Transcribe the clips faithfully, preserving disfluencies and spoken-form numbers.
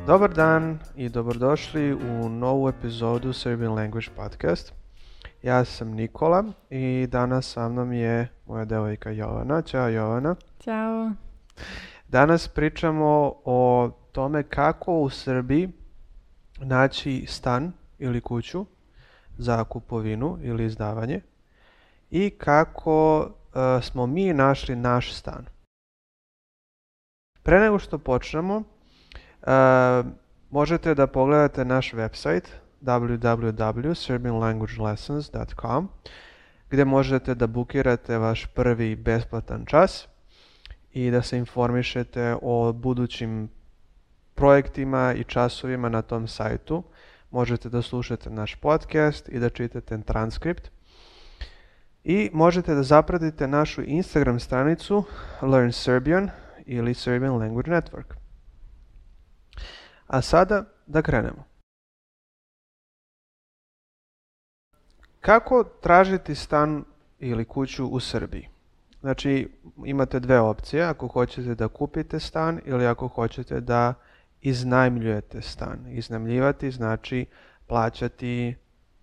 Dobar dan i dobrodošli u novu epizodu Serbian Language Podcast. Ja sam Nikola i danas sa mnom je moja devojka Jovana. Ćao Jovana. Ćao. Danas pričamo o tome kako u Srbiji naći stan ili kuću za kupovinu ili izdavanje i kako uh, smo mi našli naš stan. Pre nego što počnemo, uh, možete da pogledate naš website w w w dot serbian language lessons dot com gdje možete da bukirate vaš prvi besplatan čas i da se informišete o budućim projektima i časovima na tom sajtu. Možete da slušate naš podcast i da čitate transkript. I možete da zapratite našu Instagram stranicu Learn Serbian ili Serbian Language Network. A sada da krenemo. Kako tražiti stan ili kuću u Srbiji? Znači, imate dve opcije, ako hoćete da kupite stan ili ako hoćete da iznajmljujete stan. Iznajmljivati znači plaćati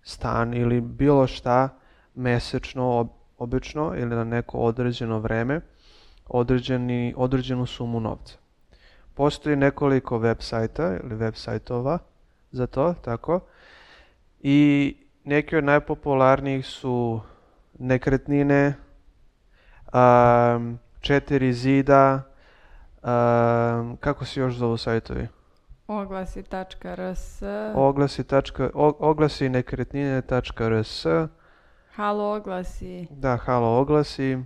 stan ili bilo šta mesečno, obično ili na neko određeno vreme, određeni, određenu sumu novca. Postoji nekoliko web sajta ili web sajtova za to, tako, i neki od najpopularnijih su Nekretnine, um, Četiri zida, um, kako se još zovu sajtovi? Oglasi tačka r s, Oglasi, tačka, o, oglasi nekretnine tačka r s, Halo oglasi. Da, Halo oglasi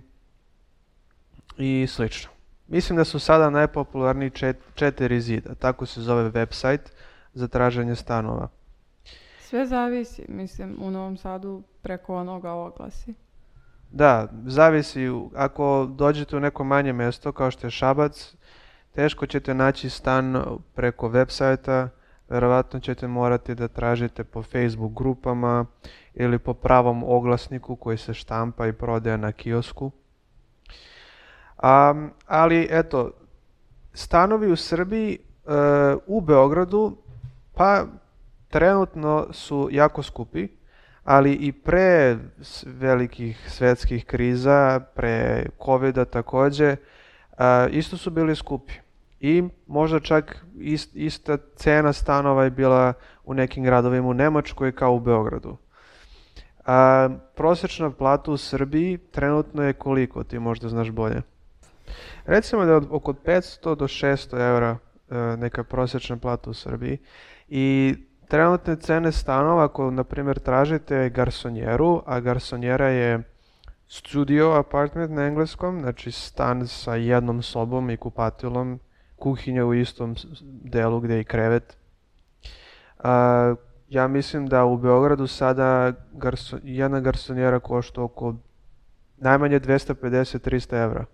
i slično. Mislim da su sada najpopularniji čet, Četiri zida, tako se zove website za traženje stanova. Sve zavisi, mislim, u Novom Sadu preko onoga oglasi. Da, zavisi, ako dođete u neko manje mjesto kao što je Šabac, teško ćete naći stan preko web sajta, verovatno ćete morati da tražite po Facebook grupama ili po pravom oglasniku koji se štampa i prodaje na kiosku. Um, ali eto, stanovi u Srbiji, uh, u Beogradu, pa trenutno su jako skupi, ali i pre velikih svjetskih kriza, pre covida također, uh, isto su bili skupi. I možda čak ist, ista cena stanova je bila u nekim gradovima u Nemačkoj kao u Beogradu. A, prosječna plata u Srbiji trenutno je koliko, ti možda znaš bolje? Recimo da je od oko petsto do šesto eura neka prosječna plata u Srbiji i trenutne cene stanova, ako na primjer tražite garsonjeru, a garsonjera je studio apartment na engleskom, znači stan sa jednom sobom i kupatilom, kuhinja u istom delu gdje je i krevet. A, ja mislim da u Beogradu sada garso, jedna garsonjera košta oko najmanje dvesta pedeset do trista evra.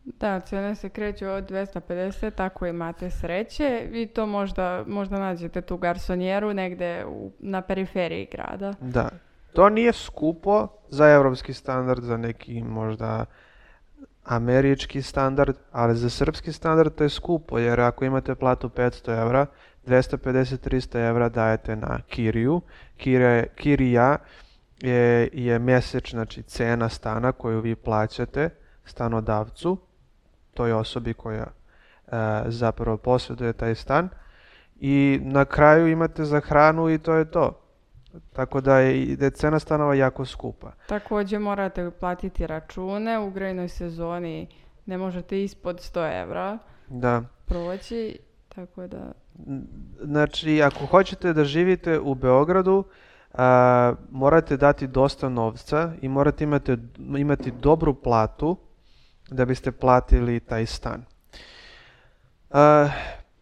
Da, cijene se kreću od dvesta pedeset, ako imate sreće i to možda, možda nađete tu garsonjeru negdje u, na periferiji grada. Da, to nije skupo za evropski standard, za neki možda američki standard, ali za srpski standard to je skupo, jer ako imate platu petsto evra, dvesta pedeset do trista evra dajete na kiriju. Kirija, kirija je, je mjesečna, znači cena stana koju vi plaćate stanodavcu, toj osobi koja e, zapravo posjeduje taj stan, i na kraju imate za hranu i to je to. Tako da je, da je cena stanova jako skupa. Također morate platiti račune, u grejnoj sezoni ne možete ispod sto evra da proći, tako da... Znači, ako hoćete da živite u Beogradu, a, morate dati dosta novca i morate imati, imati dobru platu da biste platili taj stan. A,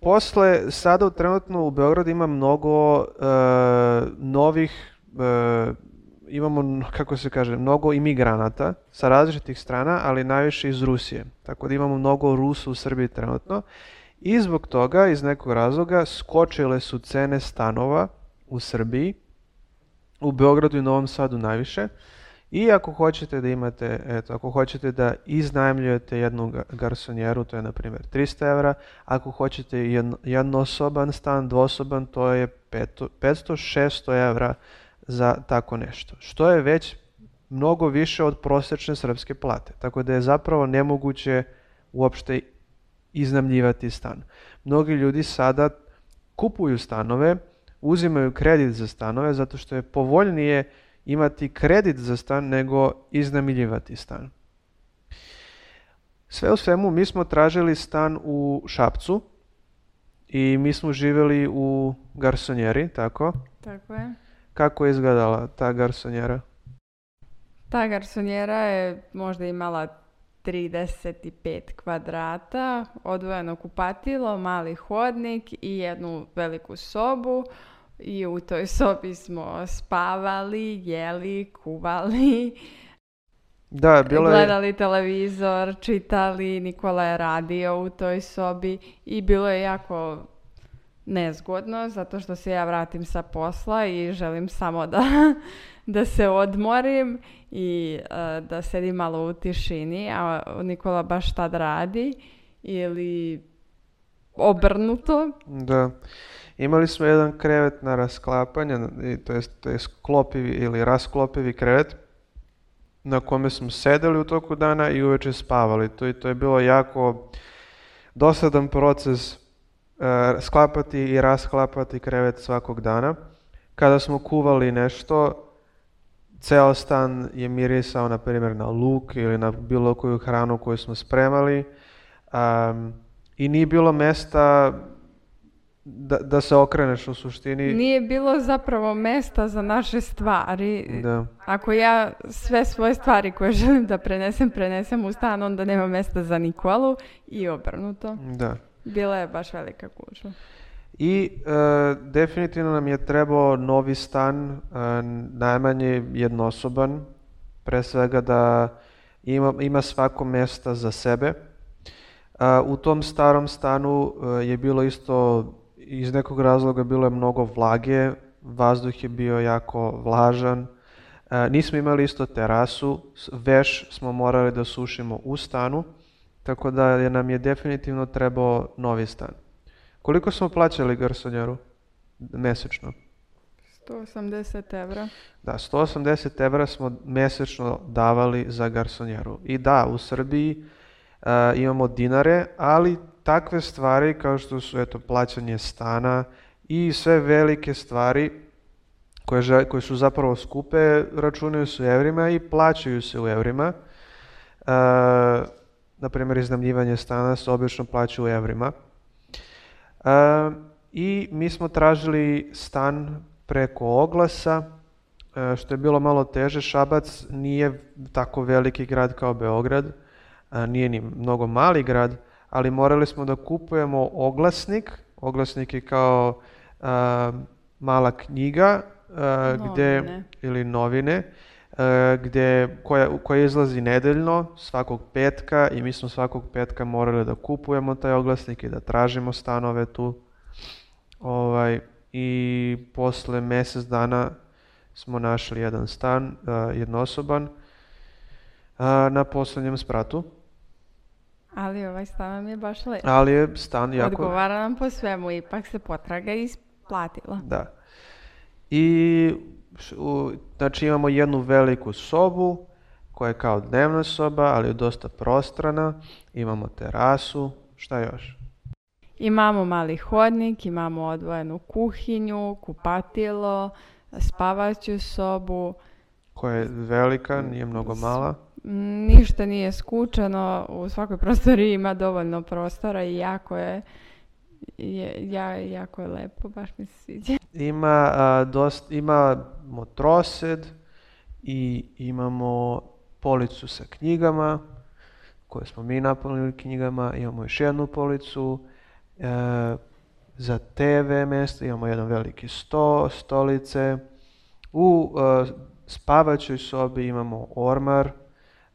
posle, sada trenutno u Beogradu ima mnogo a, novih, a, imamo, kako se kaže, mnogo imigranata sa različitih strana, ali najviše iz Rusije. Tako da imamo mnogo Rusa u Srbiji trenutno. I zbog toga, iz nekog razloga, skočile su cene stanova u Srbiji, u Beogradu i Novom Sadu najviše. I ako hoćete da imate, eto, ako hoćete da iznajmljujete jednu garsonjeru, to je na primjer trista evra, ako hoćete jedno, jednosoban stan, dvosoban, to je petsto šesto evra za tako nešto, što je već mnogo više od prosječne srpske plate, tako da je zapravo nemoguće uopšte iznajmljivati stan. Mnogi ljudi sada kupuju stanove, uzimaju kredit za stanove zato što je povoljnije imati kredit za stan nego iznajmljivati stan. Sve u svemu, mi smo tražili stan u Šapcu i mi smo živjeli u garsonjeri, tako? Tako je. Kako je izgledala ta garsonjera? Ta garsonjera je možda imala trideset pet kvadrata, odvojeno kupatilo, mali hodnik i jednu veliku sobu. I u toj sobi smo spavali, jeli, kuvali, da, bilo je... gledali televizor, čitali, Nikola je radio u toj sobi i bilo je jako nezgodno zato što se ja vratim sa posla i želim samo da, da se odmorim i uh, da sedim malo u tišini, a Nikola baš tad radi ili obrnuto. Da. Imali smo jedan krevet na rasklapanje, to je, to je sklopivi ili rasklopivi krevet na kome smo sedeli u toku dana i uveče spavali. To, to je bilo jako dosadan proces uh, sklapati i rasklapati krevet svakog dana. Kada smo kuvali nešto, ceo stan je mirisao na primjer na luk ili na bilo koju hranu koju smo spremali um, i nije bilo mesta Da, da se okreneš u suštini. Nije bilo zapravo mesta za naše stvari. Da. Ako ja sve svoje stvari koje želim da prenesem, prenesem u stan, onda nema mesta za Nikolu i obrnuto. Da. Bila je baš velika gužva. I e, definitivno nam je trebao novi stan, e, najmanje jednosoban, pre svega da ima, ima svako mesta za sebe. E, u tom starom stanu e, je bilo isto iz nekog razloga bilo je mnogo vlage, vazduh je bio jako vlažan, e, nismo imali isto terasu, veš smo morali da sušimo u stanu, tako da je nam je definitivno trebao novi stan. Koliko smo plaćali garsonjeru mesečno? sto osamdeset evra. Da, sto osamdeset evra smo mesečno davali za garsonjeru. I da, u Srbiji e, imamo dinare, ali takve stvari kao što su eto, plaćanje stana i sve velike stvari koje, koje su zapravo skupe računaju se u evrima i plaćaju se u evrima. E, na primjer, iznajmljivanje stana se obično plaća u evrima. E, I mi smo tražili stan preko oglasa, e, što je bilo malo teže. Šabac nije tako veliki grad kao Beograd, e, nije ni mnogo mali grad, ali morali smo da kupujemo oglasnik. Oglasnik je kao uh, mala knjiga uh, gde, ili novine uh, gde, koja, koja izlazi nedeljno svakog petka i mi smo svakog petka morali da kupujemo taj oglasnik i da tražimo stanove tu. Ovaj, I posle mjesec dana smo našli jedan stan, uh, jednosoban, uh, na poslednjem spratu. Ali ovaj stan nam je baš lep. Ali je stan jako... Odgovara nam po svemu, ipak se potraga isplatila. Da. I u, znači imamo jednu veliku sobu koja je kao dnevna soba, ali je dosta prostrana. Imamo terasu. Šta još? Imamo mali hodnik, imamo odvojenu kuhinju, kupatilo, spavaću sobu. Koja je velika, nije mnogo mala. Ništa nije skučeno, u svakoj prostoriji ima dovoljno prostora i jako je, je ja, jako je lepo, baš mi se sviđa. Ima, a, dost, imamo trosed i imamo policu sa knjigama koje smo mi napunili knjigama, imamo još jednu policu e, za te ve mjesto, imamo jedan veliki sto, stolice. U e, spavaćoj sobi imamo ormar,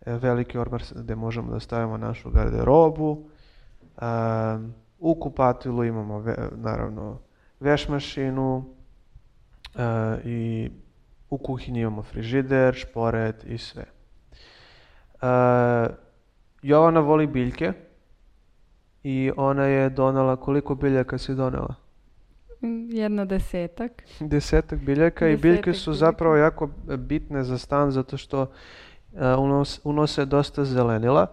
veliki ormar gdje možemo da stavimo našu garderobu. Um, u kupatilu imamo ve, naravno veš mašinu uh, i U kuhinji imamo frižider, šporet i sve. Uh, Jovana voli biljke i ona je donela, koliko biljaka si donela? Jedno desetak. Desetak biljaka i biljke su zapravo jako bitne za stan zato što uh, unos, unose dosta zelenila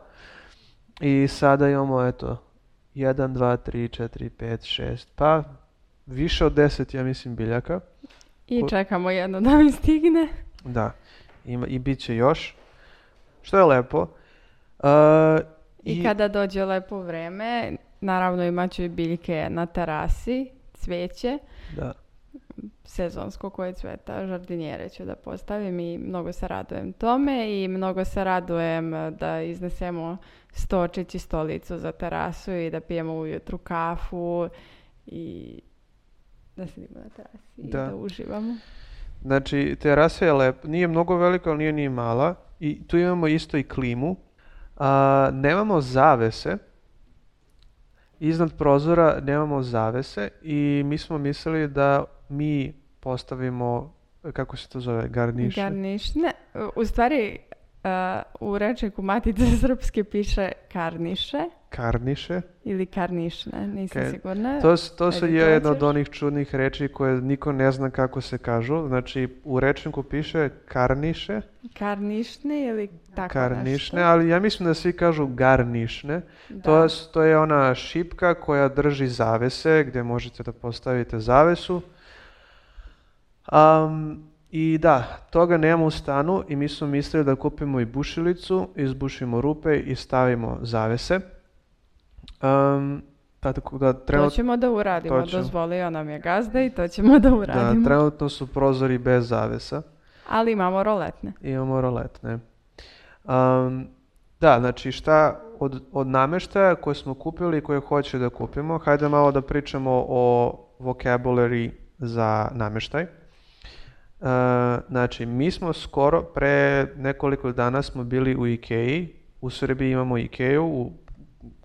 i sada imamo eto jedan, dva, tri, četiri, pet, šest, pa više od deset ja mislim biljaka. I čekamo jedno da mi stigne. Da, ima, i bit će još, što je lepo. Uh, I, I kada dođe lepo vreme, naravno imat ću i biljke na terasi, cvijeće, da. Sezonsko koje cveta, žardinjere ću da postavim i mnogo se radujem tome i mnogo se radujem da iznesemo stočić i stolicu za terasu i da pijemo ujutru kafu i da sedimo na terasi da. i da uživamo. Znači, terasa je lepa, nije mnogo velika, ali nije ni mala i tu imamo isto i klimu. A, nemamo zavese, iznad prozora nemamo zavese i mi smo mislili da mi postavimo, kako se to zove, garniše? Garnišne, u stvari uh, u rečniku Matice srpske piše karniše. Karniše? Ili karnišne, nisam okay. sigurna. To, to su jedna od onih čudnih reči koje niko ne zna kako se kažu. Znači, u rečniku piše karniše. Karnišne ili tako karnišne, nešto. Ali ja mislim da svi kažu garnišne. To, to je ona šipka koja drži zavese, gdje možete da postavite zavesu. Um, I da, toga nemamo u stanu i mi smo mislili da kupimo i bušilicu, izbušimo rupe i stavimo zavese. Um, tako da trenut... To ćemo da uradimo, ćemo... dozvolio nam je gazda i to ćemo da uradimo. Da, trenutno su prozori bez zavesa. Ali imamo roletne. Imamo roletne. Um, da, znači šta od, od namještaja koje smo kupili i koje hoće da kupimo, hajde malo da pričamo o vocabulary za namještaj. Uh, znači, mi smo skoro, pre nekoliko dana smo bili u Ikeji, u Srbiji imamo Ikeju, u,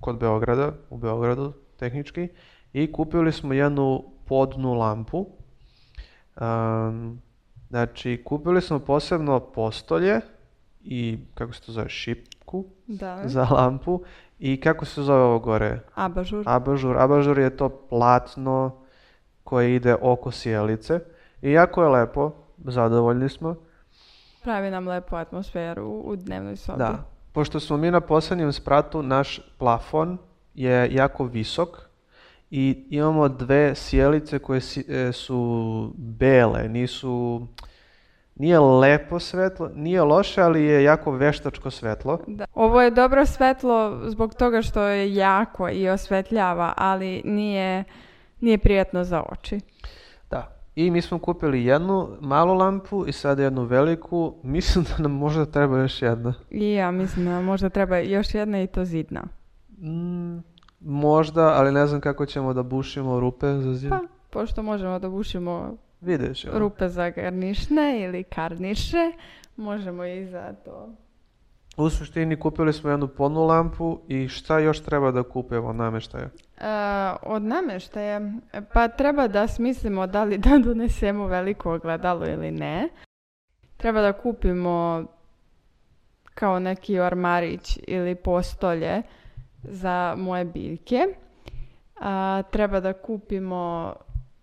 kod Beograda, u Beogradu tehnički, i kupili smo jednu podnu lampu. Um, znači, kupili smo posebno postolje i, kako se to zove, šipku da. za lampu i kako se zove ovo gore? Abažur. Abažur. Abažur je to platno koje ide oko sjelice i jako je lepo. Zadovoljni smo. Pravi nam lepu atmosferu u dnevnoj sobi. Da. Pošto smo mi na posljednjem spratu, naš plafon je jako visok i imamo dve sjelice koje su bele, nisu, nije lepo svetlo, nije loše, ali je jako veštačko svetlo. Da. Ovo je dobro svetlo zbog toga što je jako i osvetljava, ali nije, nije prijatno za oči. Da. I mi smo kupili jednu malu lampu i sad jednu veliku. Mislim da nam možda treba još jedna. I ja mislim da možda treba još jedna i to zidna. Mm, možda, ali ne znam kako ćemo da bušimo rupe za zid. Pa, pošto možemo da bušimo Vidjet ćemo. rupe za garnišne ili karniše, možemo i za to. U suštini kupili smo jednu podnu lampu i šta još treba da kupimo od namještaja? Uh, od namještaja? Pa treba da smislimo da li da donesemo veliko ogledalo ili ne. Treba da kupimo kao neki ormarić ili postolje za moje biljke. Uh, treba da kupimo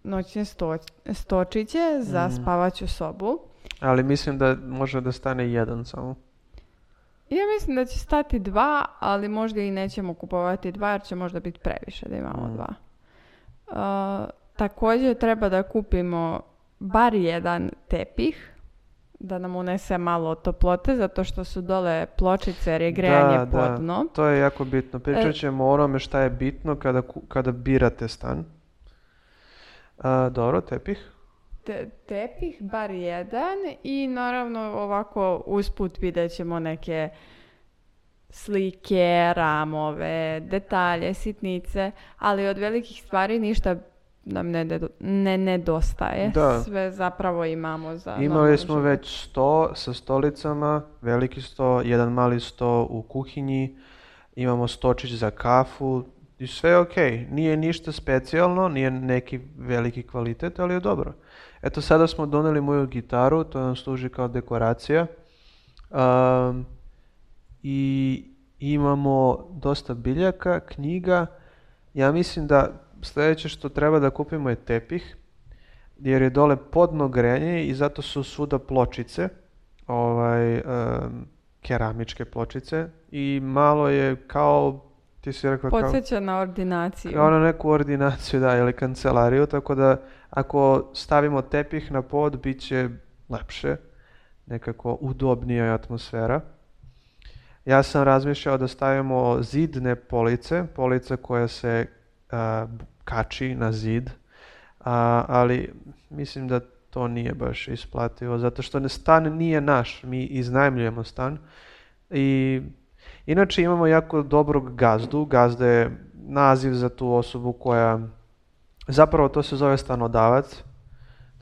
noćne sto, stočiće za mm. spavaću sobu. Ali mislim da može da stane jedan samo. Ja mislim da će stati dva, ali možda i nećemo kupovati dva jer će možda biti previše da imamo mm. dva. Uh, također treba da kupimo bar jedan tepih da nam unese malo toplote zato što su dole pločice jer je grejanje da, podno. Da, to je jako bitno. Pričat ćemo e... o onome šta je bitno kada, kada birate stan. Uh, dobro, tepih. Te, tepih, bar jedan i naravno ovako usput vidjet ćemo neke slike, ramove, detalje, sitnice, ali od velikih stvari ništa nam ne, ne nedostaje. Da. Sve zapravo imamo za Imali smo život. Već sto sa stolicama, veliki sto, jedan mali sto u kuhinji, imamo stočić za kafu, I sve je okej. Nije ništa specijalno, nije neki veliki kvalitet, ali je dobro. Eto, sada smo doneli moju gitaru, to nam služi kao dekoracija. Um, I imamo dosta biljaka, knjiga. Ja mislim da sljedeće što treba da kupimo je tepih, jer je dole podno grejanje i zato su svuda pločice, ovaj, um, keramičke pločice i malo je kao, ti si rekla kao, Podsjeća na ordinaciju. kao na neku ordinaciju, da, ili kancelariju, tako da ako stavimo tepih na pod, bit će lepše, nekako udobnija je atmosfera. Ja sam razmišljao da stavimo zidne police, police koja se a, kači na zid, a, ali mislim da to nije baš isplativo, zato što stan nije naš, mi iznajmljujemo stan. I inače imamo jako dobrog gazdu, gazda je naziv za tu osobu koja, zapravo to se zove stanodavac,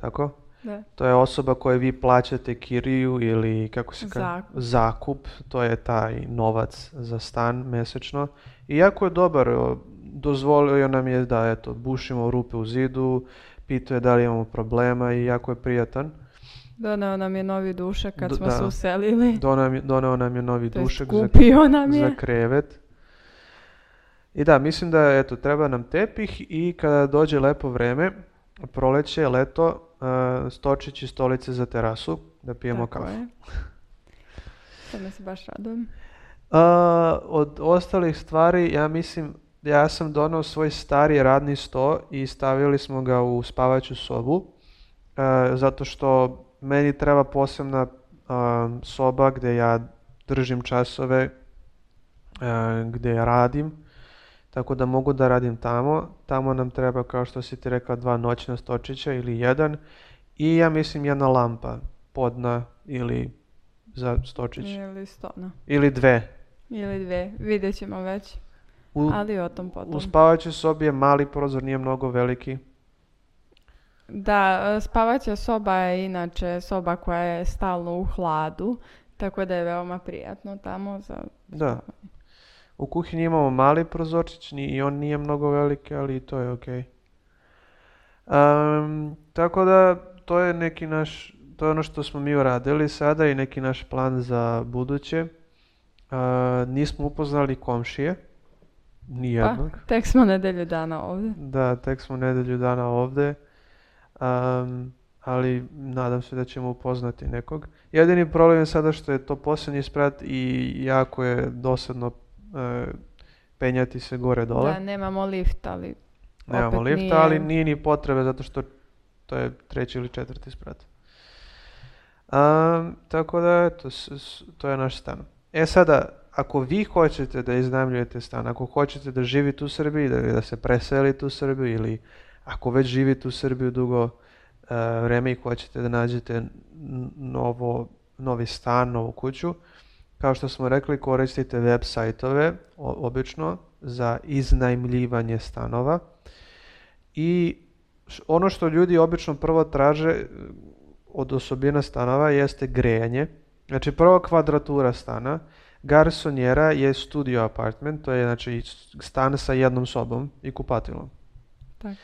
tako? Da. To je osoba kojoj vi plaćate kiriju ili kako se kaže, Zakup. zakup, to je taj novac za stan mesečno. I jako je dobar, o, dozvolio nam je da eto, bušimo rupe u zidu, pitao je da li imamo problema i jako je prijatan. Doneo nam je novi dušak kad Do- smo da. se uselili. Doneo, doneo nam je novi To jest dušak za, kupio nam je. za krevet. I da, mislim da eto, treba nam tepih i kada dođe lepo vreme, proleće, leto, uh, stočić i stolice za terasu, da pijemo Tako kafu. je. Tome se baš radujem. Uh, od ostalih stvari, ja mislim, ja sam doneo svoj stari radni sto i stavili smo ga u spavaću sobu, uh, zato što meni treba posebna uh, soba gdje ja držim časove, uh, gdje ja radim, tako da mogu da radim tamo. Tamo nam treba, kao što si ti rekla, dva noćna stočića ili jedan i ja mislim jedna lampa podna ili za stočić. Ili stona. Ili dve. Ili dve. Vidjet ćemo već. U, Ali o tom potom. u spavaćoj sobi je mali prozor, nije mnogo veliki. Da, spavaća soba je inače soba koja je stalno u hladu, tako da je veoma prijatno tamo za... Da. U kuhinji imamo mali prozorčić ni- i on nije mnogo veliki, ali i to je okej. Um, tako da to je neki naš, to je ono što smo mi uradili sada i neki naš plan za buduće. Uh, nismo upoznali komšije, Pa, nijednog. tek smo nedelju dana ovdje. Da, tek smo nedelju dana ovdje, um, ali nadam se da ćemo upoznati nekog. Jedini problem je sada što je to posljednji sprat i jako je dosadno e, penjati se gore dole. Da, nemamo lift, ali Nemamo opet lifta, nije- ali nije ni potrebe zato što to je treći ili četvrti sprat. Um, tako da, eto, s- s- to je naš stan. E sada, ako vi hoćete da iznajmljujete stan, ako hoćete da živite u Srbiji, da, da se preselite u Srbiju ili ako već živite u Srbiji dugo e, vreme i hoćete da nađete n- novo, novi stan, novu kuću, kao što smo rekli, koristite web sajtove o- obično za iznajmljivanje stanova. I š- ono što ljudi obično prvo traže e, od osobina stanova jeste grejanje. Znači prva kvadratura stana, garsonjera je studio apartment, to je znači stan sa jednom sobom i kupatilom. tako.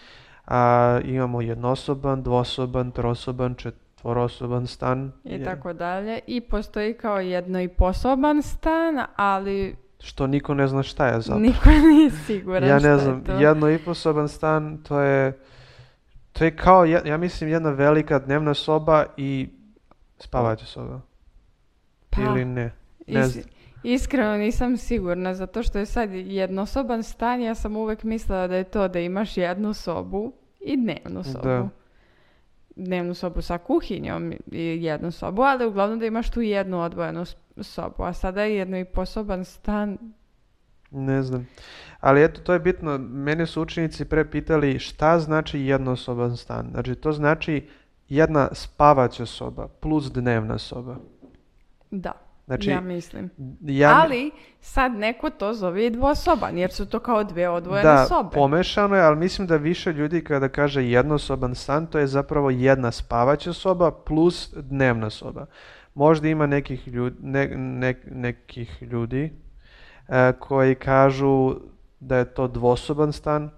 A, imamo jednosoban, dvosoban, trosoban, četvorosoban stan. I je- tako dalje. I postoji kao jedno i posoban stan, ali Što niko ne zna šta je zapravo. niko nije siguran Ja šta ne je znam, to. jedno i posoban stan, to je, to je kao, je- ja mislim, jedna velika dnevna soba i spavaća soba. Pa, Ili ne. Ne is- znam. iskreno nisam sigurna, zato što je sad jednosoban stan, ja sam uvek mislila da je to da imaš jednu sobu i dnevnu sobu. Da. Dnevnu sobu sa kuhinjom i jednu sobu, ali uglavnom da imaš tu jednu odvojenu s- sobu, a sada je jedno i posoban stan. Ne znam. Ali eto, to je bitno. Mene su učenici pre pitali šta znači jednosoban stan. Znači, to znači jedna spavaća soba plus dnevna soba. Da, Znači, ja mislim. ja, Ali sad neko to zove i dvosoban, jer su to kao dve odvojene da, sobe. pomešano je, ali mislim da više ljudi kada kaže jednosoban stan, to je zapravo jedna spavaća soba plus dnevna soba. Možda ima nekih ljudi, ne, ne- nekih ljudi e, koji kažu da je to dvosoban stan,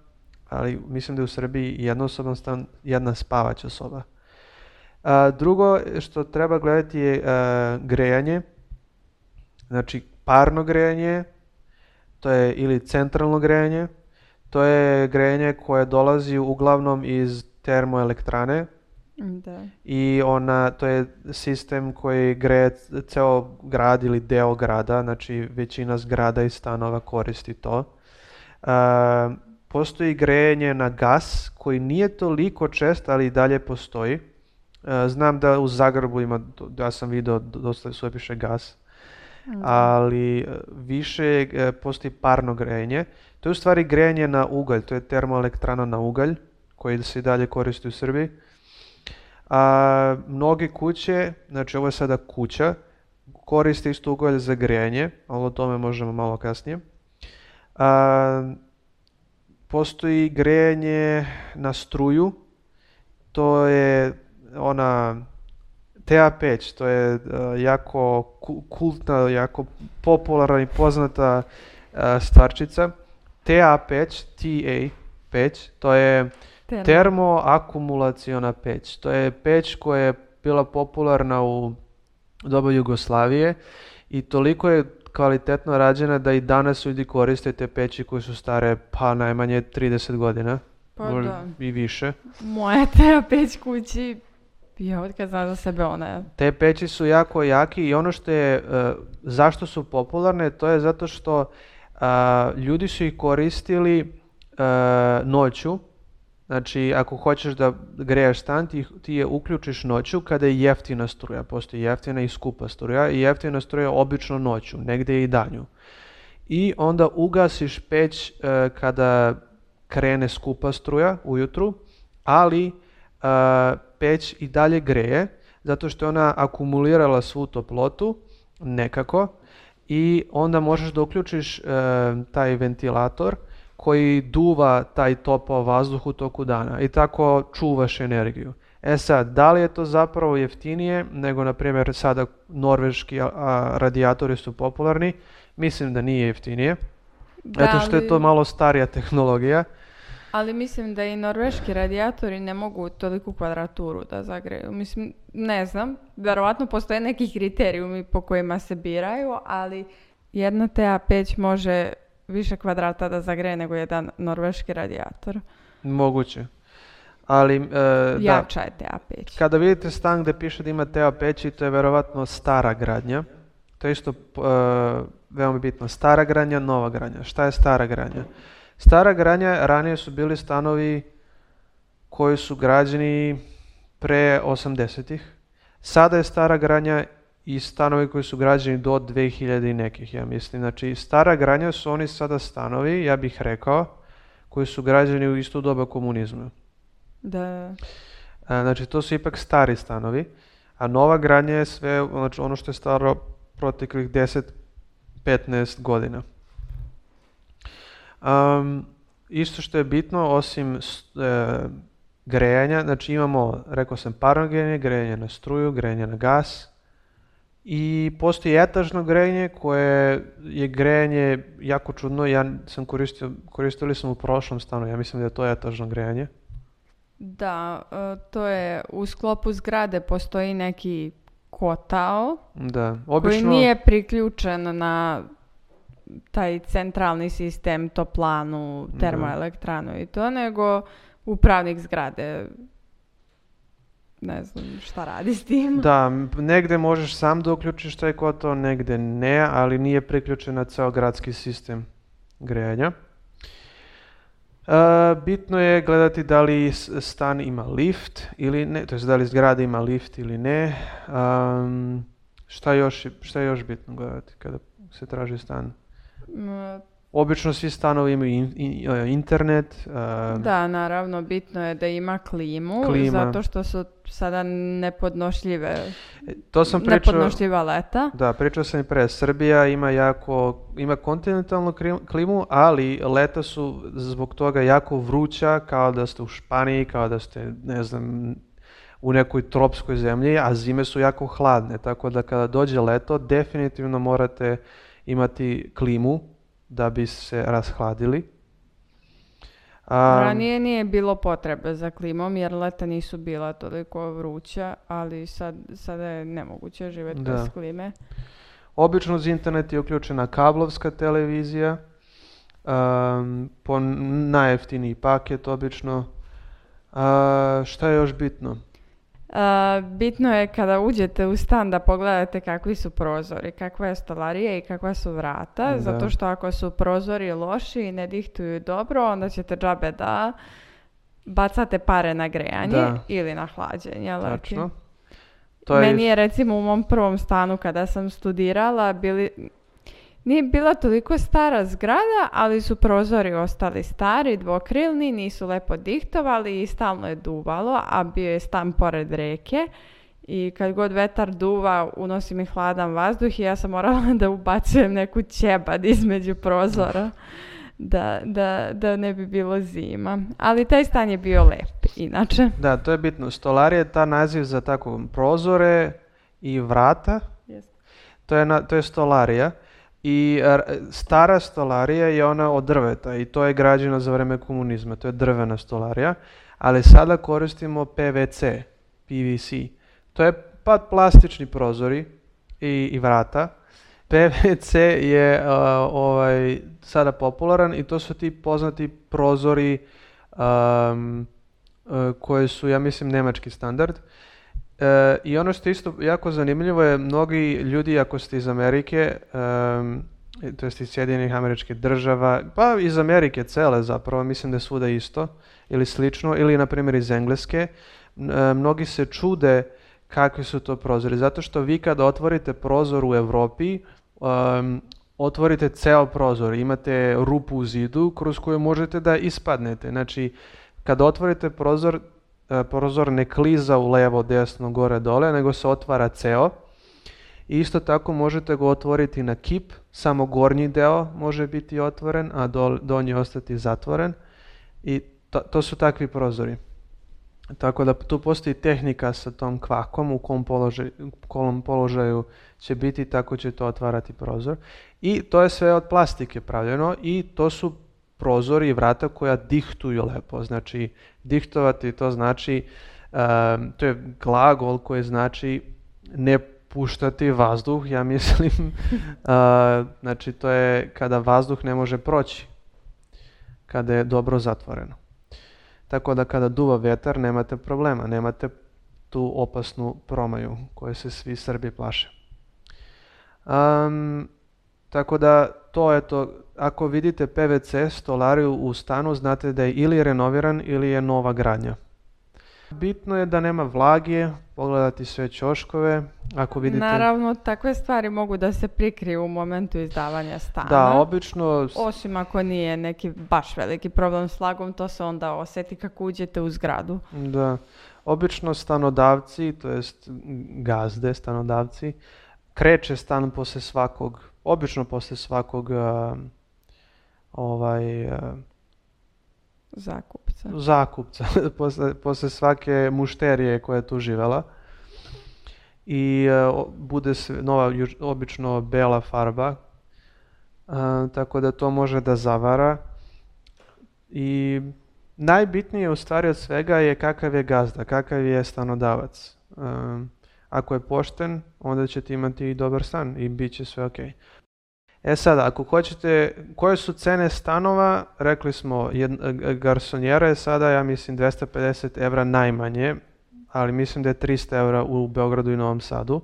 ali mislim da je u Srbiji jednosoban stan, jedna spavaća soba. A, drugo što treba gledati je a, grejanje, znači parno grejanje, to je ili centralno grejanje, to je grejanje koje dolazi uglavnom iz termoelektrane. Da. I ona, to je sistem koji greje ceo grad ili deo grada, znači većina zgrada i stanova koristi to. Uh, postoji grejanje na gas koji nije toliko čest, ali i dalje postoji. Uh, znam da u Zagrebu ima, ja sam video dosta sve piše gas, mm. ali više uh, postoji parno grejanje. To je u stvari grejanje na ugalj, to je termoelektrana na ugalj koji se i dalje koristi u Srbiji. A mnoge kuće, znači ovo je sada kuća, koriste isto ugalj za grejanje, ali o tome možemo malo kasnije. A, postoji grejanje na struju, to je ona T A peć, to je uh, jako kultna, jako popularna i poznata uh, stvarčica. T A peć, T A peć, to je termoakumulaciona peć. To je peć koja je bila popularna u doba Jugoslavije i toliko je kvalitetno rađena da i danas ljudi koriste te peći koje su stare pa najmanje trideset godina. Pa da. I više. Moja T A peć kući, ja od kad znam za sebe ona je. Te peći su jako jaki i ono što je, uh, zašto su popularne, to je zato što uh, ljudi su ih koristili uh, noću. Znači, ako hoćeš da greješ stan, ti, ti je uključiš noću kada je jeftina struja. Postoji jeftina i skupa struja i jeftina struja obično noću, negdje i danju. I onda ugasiš peć e, kada krene skupa struja ujutru, ali e, peć i dalje greje, zato što je ona akumulirala svu toplotu nekako i onda možeš da uključiš e, taj ventilator koji duva taj topao vazduh u toku dana i tako čuvaš energiju. E sad, da li je to zapravo jeftinije nego, na primjer, sada norveški a, a, radijatori su popularni? Mislim da nije jeftinije, da, zato što je to malo starija tehnologija. Ali mislim da i norveški radijatori ne mogu toliku kvadraturu da zagreju. Mislim, ne znam, verovatno postoje neki kriterijumi po kojima se biraju, ali jedna T A peć može više kvadrata da zagreje nego jedan norveški radijator. Moguće. Ali, e, jača da, je T A peć. Kada vidite stan gde piše da ima T A peći, to je verovatno stara gradnja. To je isto e, veoma bitno. Stara gradnja, nova gradnja. Šta je stara gradnja? Stara gradnja, ranije su bili stanovi koji su građeni pre osamdesetih. Sada je stara gradnja i stanovi koji su građeni do dve hiljade i nekih, ja mislim. Znači, stara gradnja su oni sada stanovi, ja bih rekao, koji su građeni u isto doba komunizma. Da. Znači, to su ipak stari stanovi, a nova gradnja je sve, znači, ono što je staro proteklih deset do petnaest godina. Um, isto što je bitno, osim e, grejanja, znači imamo, rekao sam, parno grejanje, grejanje na struju, grejanje na gas, i postoji etažno grejanje koje je grejanje jako čudno. Ja sam koristio, koristili sam u prošlom stanu, ja mislim da je to etažno grejanje. Da, to je u sklopu zgrade postoji neki kotao da, obično, koji nije priključen na taj centralni sistem, toplanu, termoelektranu i to, nego upravnik zgrade ne znam šta radi s tim. Da, negde možeš sam da uključiš taj kotao, negde ne, ali nije priključen na ceo gradski sistem grejanja. Uh, bitno je gledati da li stan ima lift ili ne, to jest da li zgrada ima lift ili ne. Um, šta, još, šta je još bitno gledati kada se traži stan? Mm. Obično svi stanovi imaju in, in, internet. Uh, da, naravno, bitno je da ima klimu, klima. Zato što su sada nepodnošljive, to sam pričao, nepodnošljiva leta. Da, pričao sam i pre. Srbija ima jako, ima kontinentalnu klimu, ali leta su zbog toga jako vruća, kao da ste u Španiji, kao da ste, ne znam, u nekoj tropskoj zemlji, a zime su jako hladne, tako da kada dođe leto, definitivno morate imati klimu da bi se rashladili. A, Ranije nije bilo potrebe za klimom jer leta nisu bila toliko vruća, ali sad, sada je nemoguće živjeti Da. bez klime. Obično uz internet je uključena kablovska televizija, um, po najjeftiniji paket obično. A, šta je još bitno? A, bitno je kada uđete u stan da pogledate kakvi su prozori, kakva je stolarija i kakva su vrata, Da. zato što ako su prozori loši i ne dihtuju dobro, onda ćete džabe da bacate pare na grejanje Da. ili na hlađenje. leti. Tačno. To je Meni je recimo u mom prvom stanu kada sam studirala bili, nije bila toliko stara zgrada, ali su prozori ostali stari, dvokrilni, nisu lepo dihtovali i stalno je duvalo, a bio je stan pored reke i kad god vetar duva unosi mi hladan vazduh i ja sam morala da ubacujem neku ćebad između prozora da, da, da ne bi bilo zima. Ali taj stan je bio lep, inače. Da, to je bitno. Stolarija je ta naziv za tako prozore i vrata. To je, na, to je stolarija. I r- stara stolarija je ona od drveta i to je građena za vrijeme komunizma. To je drvena stolarija. Ali sada koristimo P V C, P V C. To je pa plastični prozori i, i vrata. P V C je uh, ovaj, sada popularan i to su ti poznati prozori um, uh, koji su, ja mislim, njemački standard. E, I ono što je isto jako zanimljivo je, mnogi ljudi, ako ste iz Amerike, um, to jest iz Sjedinjenih Američkih Država, pa iz Amerike cele zapravo, mislim da je svuda isto ili slično, ili na primjer iz Engleske, m, e, mnogi se čude kakvi su to prozori, zato što vi kad otvorite prozor u Europi, um, otvorite ceo prozor, imate rupu u zidu kroz koju možete da ispadnete. Znači, kad otvorite prozor, e, prozor ne kliza u levo, desno, gore, dole, nego se otvara ceo. I isto tako možete ga otvoriti na kip, samo gornji deo može biti otvoren, a dol, donji ostati zatvoren. I to, to su takvi prozori. Tako da tu postoji tehnika sa tom kvakom, u kom položaju, kom položaju će biti, tako će to otvarati prozor. I to je sve od plastike pravljeno i to su prozori i vrata koja dihtuju lepo. Znači, dihtovati to znači, um, to je glagol koji znači ne puštati vazduh, ja mislim. uh, znači, to je kada vazduh ne može proći, kada je dobro zatvoreno. Tako da kada duva vetar nemate problema, nemate tu opasnu promaju koje se svi Srbi plaše. Um, tako da to je to, ako vidite P V C stolariju u stanu, znate da je ili renoviran ili je nova gradnja. Bitno je da nema vlage, pogledati sve ćoškove, ako vidite... Naravno, takve stvari mogu da se prikriju u momentu izdavanja stana. Da, obično... Osim ako nije neki baš veliki problem s vlagom, to se onda osjeti kako uđete u zgradu. Da, obično stanodavci, to jest gazde, stanodavci, kreće stan posle svakog, obično posle svakog uh, ovaj... Uh, Zakupca. zakupca, posle, posle svake mušterije koja je tu živela. I uh, bude sve, nova, juž, obično bela farba, uh, tako da to može da zavara. I najbitnije u stvari od svega je kakav je gazda, kakav je stanodavac. Um, ako je pošten, onda ćete imati i dobar stan i bit će sve ok. E sada, ako hoćete, koje su cene stanova, rekli smo, jed, garsonjera je sada, ja mislim, dvesta pedeset evra najmanje, ali mislim da je trista evra u Beogradu i Novom Sadu.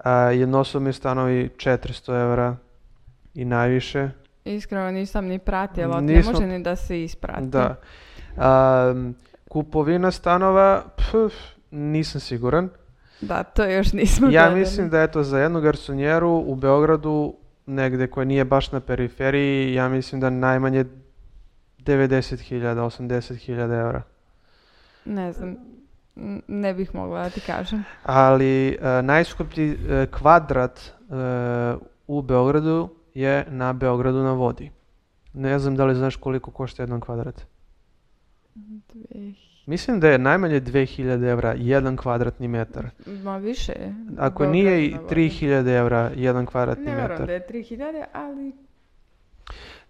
A, jednosobni stanovi četiristo evra i najviše. Iskreno nisam ni pratila, Nismo, ne može ni da se isprati. Da. A, kupovina stanova, pf, nisam siguran. Da, to još nismo Ja gledali. mislim da je to za jednu garsonjeru u Beogradu, negde koja nije baš na periferiji, ja mislim da najmanje devedeset hiljada, osamdeset hiljada evra. Ne znam, n- ne bih mogla da ti kažem. Ali uh, najskuplji uh, kvadrat uh, u Beogradu je na Beogradu na vodi. Ne znam da li znaš koliko košta jedan kvadrat. Dve... Mislim da je najmanje dve hiljade evra jedan kvadratni metar. Ma više. Ako Beograd nije i na vodi. tri hiljade evra jedan kvadratni Ne verujem metar. da je tri hiljade, ali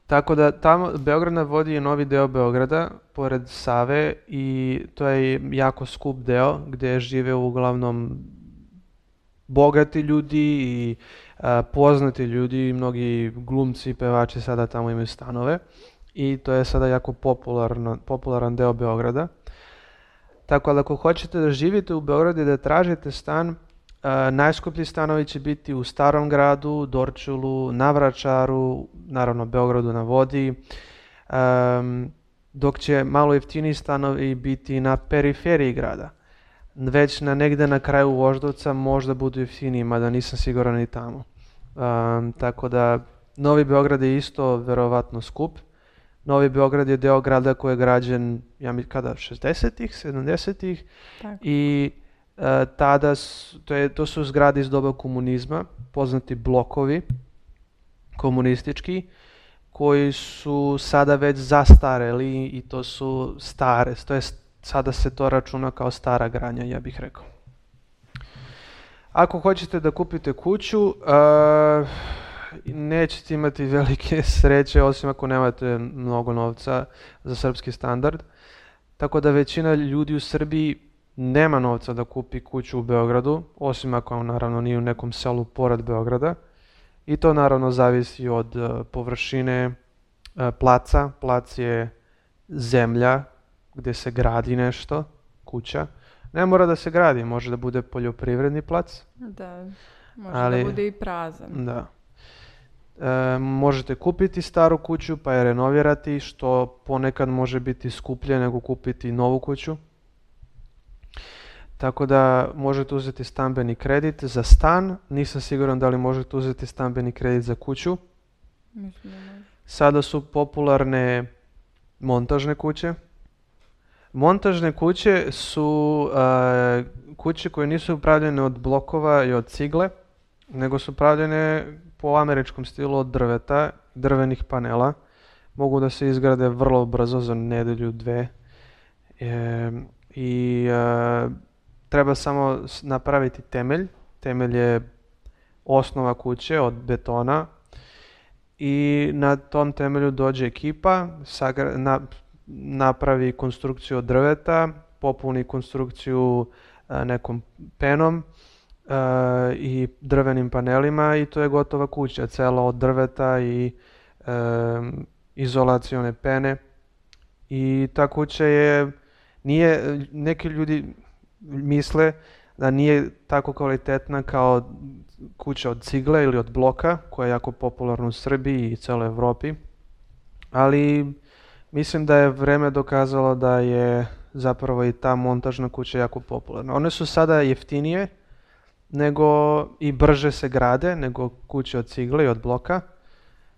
Tako da tamo Beograd na vodi je novi deo Beograda, pored Save, i to je jako skup deo gdje žive uglavnom bogati ljudi i a, poznati ljudi, mnogi glumci i pevači sada tamo imaju stanove i to je sada jako popularno, popularan deo Beograda. Tako da ako hoćete da živite u Beogradu i da tražite stan, uh, najskuplji stanovi će biti u Starom gradu, Dorčulu, na Vračaru, naravno Beogradu na vodi, um, dok će malo jeftiniji stanovi biti na periferiji grada. Već na negde na kraju Voždovca možda budu jeftiniji, mada nisam siguran i tamo. Um, tako da Novi Beograd je isto verovatno skup. Novi Beograd je deo grada koji je građen, ja mi kada, šezdesetih, sedamdesetih i e, tada, su, to, je, to su zgrade iz doba komunizma, poznati blokovi komunistički, koji su sada već zastareli i to su stare, to je, sada se to računa kao stara gradnja, ja bih rekao. Ako hoćete da kupite kuću, e, nećete imati velike sreće osim ako nemate mnogo novca za srpski standard. Tako da većina ljudi u Srbiji nema novca da kupi kuću u Beogradu, osim ako naravno nije u nekom selu pored Beograda. I to naravno zavisi od uh, površine uh, placa. Plac je zemlja gdje se gradi nešto, kuća. Ne mora da se gradi, može da bude poljoprivredni plac. Da, može ali, da bude i prazan. Da. E, možete kupiti staru kuću pa je renovirati, što ponekad može biti skuplje nego kupiti novu kuću. Tako da možete uzeti stambeni kredit za stan, nisam siguran da li možete uzeti stambeni kredit za kuću. Mislim da može. Sada su popularne montažne kuće. Montažne kuće su uh, kuće koje nisu pravljene od blokova i od cigle, nego su pravljene po američkom stilu od drveta, drvenih panela. Mogu da se izgrade vrlo brzo, za nedelju, dve. E, I e, treba samo napraviti temelj. Temelj je osnova kuće od betona. I na tom temelju dođe ekipa, sagra, na, napravi konstrukciju od drveta, popuni konstrukciju a, nekom penom a, i drvenim panelima i to je gotova kuća, cela od drveta i a, izolacione pene. I ta kuća je, nije, neki ljudi misle da nije tako kvalitetna kao kuća od cigle ili od bloka, koja je jako popularna u Srbiji i celoj Evropi. Ali mislim da je vreme dokazalo da je zapravo i ta montažna kuća jako popularna. One su sada jeftinije nego i brže se grade nego kuće od cigle i od bloka,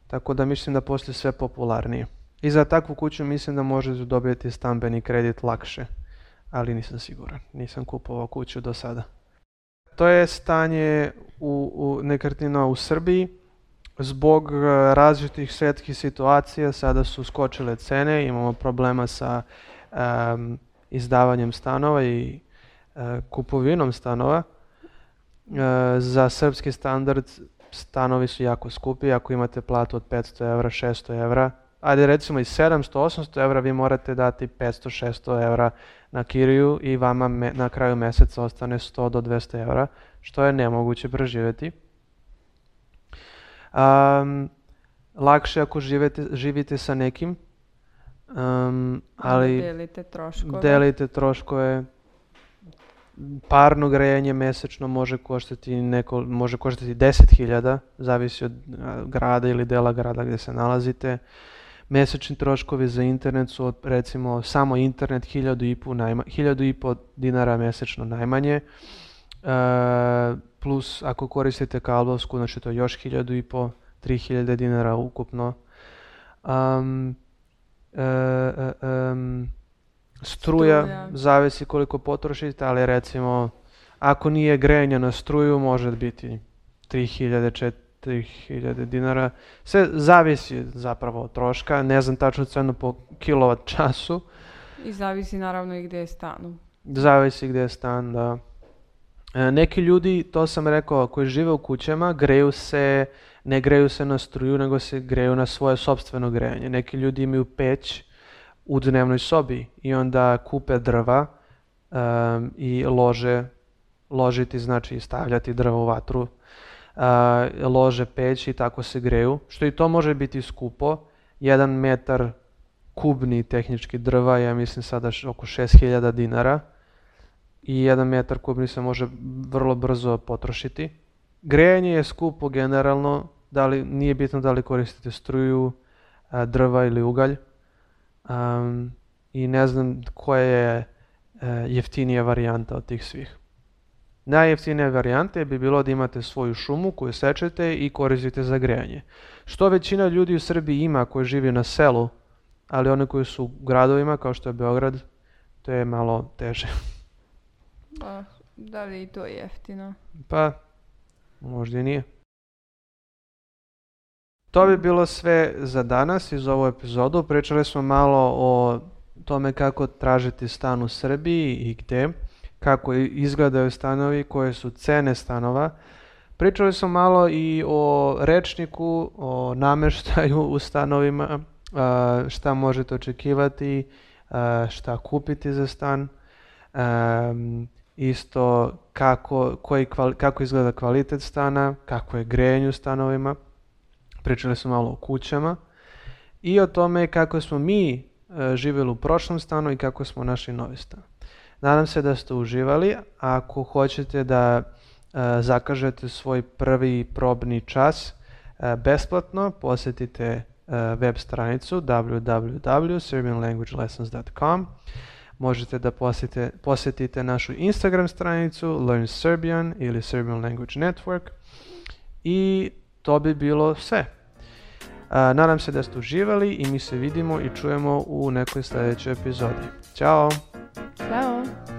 tako da mislim da poslije sve popularnije. I za takvu kuću mislim da možete dobiti stambeni kredit lakše, ali nisam siguran, nisam kupovao kuću do sada. To je stanje u, u nekretnina u Srbiji. Zbog različitih svjetskih situacija sada su skočile cene, imamo problema sa um, izdavanjem stanova i uh, kupovinom stanova. Uh, za srpski standard stanovi su jako skupi, ako imate platu od petsto evra, šesto evra, ajde recimo i sedamsto, osamsto evra, vi morate dati petsto, šesto evra na kiriju i vama me, na kraju mjeseca ostane sto do dvesta evra, što je nemoguće preživjeti. Um, lakše ako živete, živite sa nekim, um, ali delite troškove. delite troškove. Parno grejanje mjesečno može koštati, neko, može koštati deset hiljada, zavisi od grada ili dela grada gdje se nalazite. Mjesečni troškovi za internet su od, recimo samo internet hiljadu i po, najma, hiljadu i po dinara mjesečno najmanje. E, plus ako koristite kablovsku, znači to je još hiljadu i po, tri hiljade dinara ukupno. Um, e, e, um, struja, struja, zavisi koliko potrošite, ali recimo ako nije grejanje na struju može biti tri hiljade, četiri hiljade dinara. Sve zavisi zapravo od troška, ne znam tačnu cenu po kilovat času. I zavisi naravno i gdje je stan. Zavisi gdje je stan, da. E, neki ljudi, to sam rekao, koji žive u kućama, greju se ne greju se na struju, nego se greju na svoje sopstveno grejanje. Neki ljudi imaju peć u dnevnoj sobi i onda kupe drva um, i lože, ložiti znači stavljati drva u vatru, uh, lože peć i tako se greju, što i to može biti skupo. Jedan metar kubni tehnički drva, ja mislim sada oko šest hiljada dinara i jedan metar kubni se može vrlo brzo potrošiti. Grejanje je skupo generalno, da li, nije bitno da li koristite struju, uh, drva ili ugalj. Um, I ne znam koja je uh, jeftinija varijanta od tih svih. Najjeftinija varijanta bi bilo da imate svoju šumu koju sečete i koristite za grejanje. Što većina ljudi u Srbiji ima koji živi na selu, ali oni koji su u gradovima kao što je Beograd, to je malo teže. Pa, da li i to je jeftino? Pa, možda i nije. To bi bilo sve za danas iz ovu epizodu. Pričali smo malo o tome kako tražiti stan u Srbiji i gde, kako izgledaju stanovi, koje su cene stanova. Pričali smo malo i o rečniku, o nameštaju u stanovima, šta možete očekivati, šta kupiti za stan, isto kako, koji, kako izgleda kvalitet stana, kako je grejanje u stanovima. Pričali smo malo o kućama i o tome kako smo mi živjeli u prošlom stanu i kako smo našli novi stan. Nadam se da ste uživali. Ako hoćete da uh, zakažete svoj prvi probni čas uh, besplatno, posjetite uh, web stranicu w w w dot serbian language lessons dot com. Možete da posjetite, posjetite našu Instagram stranicu Learn Serbian ili Serbian Language Network i to bi bilo sve. Uh, nadam se da ste uživali i mi se vidimo i čujemo u nekoj sljedećoj epizodi. Ćao! Ćao!